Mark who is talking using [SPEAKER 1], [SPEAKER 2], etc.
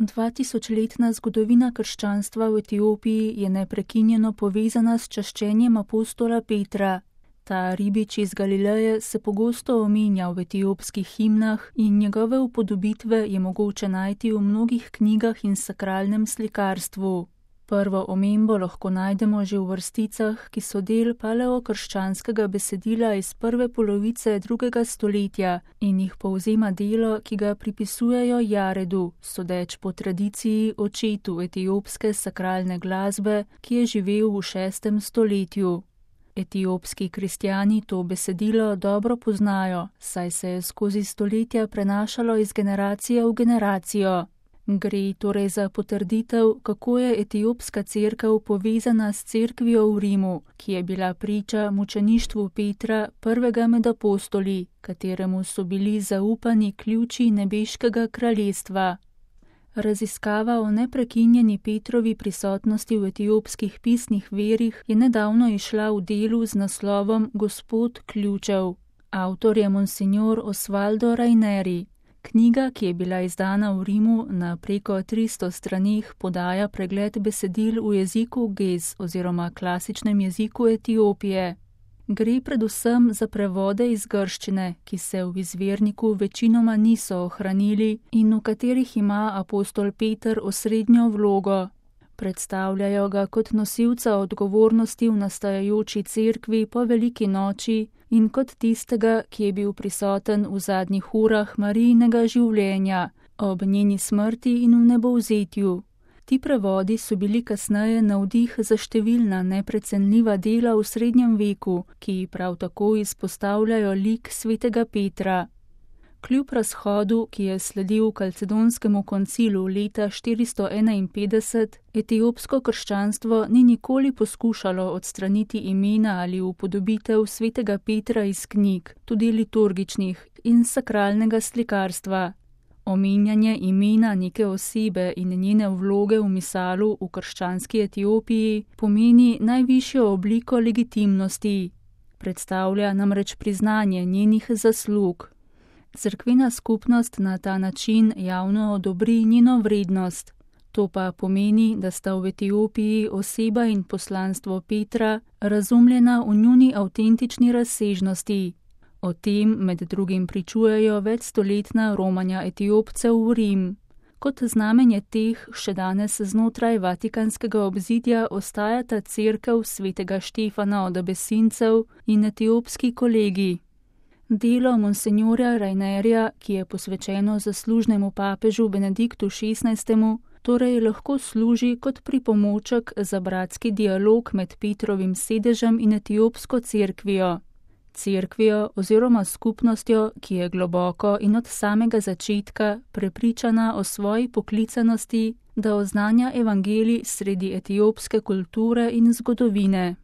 [SPEAKER 1] 2000-letna zgodovina krščanstva v Etiopiji je neprekinjeno povezana s čaščenjem apostola Petra. Ta ribič iz Galileje se pogosto omenja v etiopskih himnah in njegove upodobitve je mogoče najti v mnogih knjigah in sakralnem slikarstvu. Prvo omembo lahko najdemo že v vrsticah, ki so del paleokrščanskega besedila iz prve polovice 2. stoletja in jih povzema delo, ki ga pripisujejo Jaredu, sodeč po tradiciji očetu etiopske sakralne glasbe, ki je živel v 6. stoletju. Etiopski kristjani to besedilo dobro poznajo, saj se je skozi stoletja prenašalo iz generacije v generacijo. Gre torej za potrditev, kako je etiopska cerkev povezana s cerkvijo v Rimu, ki je bila priča mučeništvu Petra, prvega med apostoli, kateremu so bili zaupani ključi nebeškega kraljestva. Raziskava o neprekinjeni Petrovi prisotnosti v etiopskih pisnih verih je nedavno izšla v delu z naslovom Gospod ključev. Avtor je monsignor Osvaldo Raineri. Knjiga, ki je bila izdana v Rimu na preko 300 straneh, podaja pregled besedil v jeziku Gez oziroma klasičnem jeziku Etiopije. Gre predvsem za prevode iz grščine, ki se v izvirniku večinoma niso ohranili in v katerih ima apostol Peter osrednjo vlogo. Predstavljajo ga kot nosilca odgovornosti v nastajajoči cerkvi po veliki noči in kot tistega, ki je bil prisoten v zadnjih urah Marijinega življenja, ob njeni smrti in v nebovzetju. Ti prevodi so bili kasneje navdih za številna neprecenljiva dela v srednjem veku, ki prav tako izpostavljajo lik svetega Petra. Kljub razhodu, ki je sledil Kalcedonskemu koncilu leta 451, etiopsko krščanstvo ni nikoli poskušalo odstraniti imena ali upodobitev svetega Petra iz knjig, tudi liturgičnih in sakralnega slikarstva. Omenjanje imena neke osebe in njene vloge v misalu v krščanski Etiopiji pomeni najvišjo obliko legitimnosti. Predstavlja namreč priznanje njenih zaslug. Cerkvena skupnost na ta način javno odobri njeno vrednost. To pa pomeni, da sta v Etiopiji oseba in poslanstvo Petra razumljena v njuni avtentični razsežnosti. O tem med drugim pričujejo večstoletna romanja Etiopcev v Rim. Kot znamenje teh še danes znotraj vatikanskega obzidja ostajata cerkev svetega Štefana od Abesincev in etiopski kolegi. Delo monsenjorja Rainerja, ki je posvečeno zaslužnemu papežu Benediktu XVI., torej lahko služi kot pripomoček za bratski dialog med Petrovim sedežem in etiopsko cerkvijo. Cerkvijo oziroma skupnostjo, ki je globoko in od samega začetka prepričana o svoji poklicanosti, da oznanja evangelij sredi etiopske kulture in zgodovine.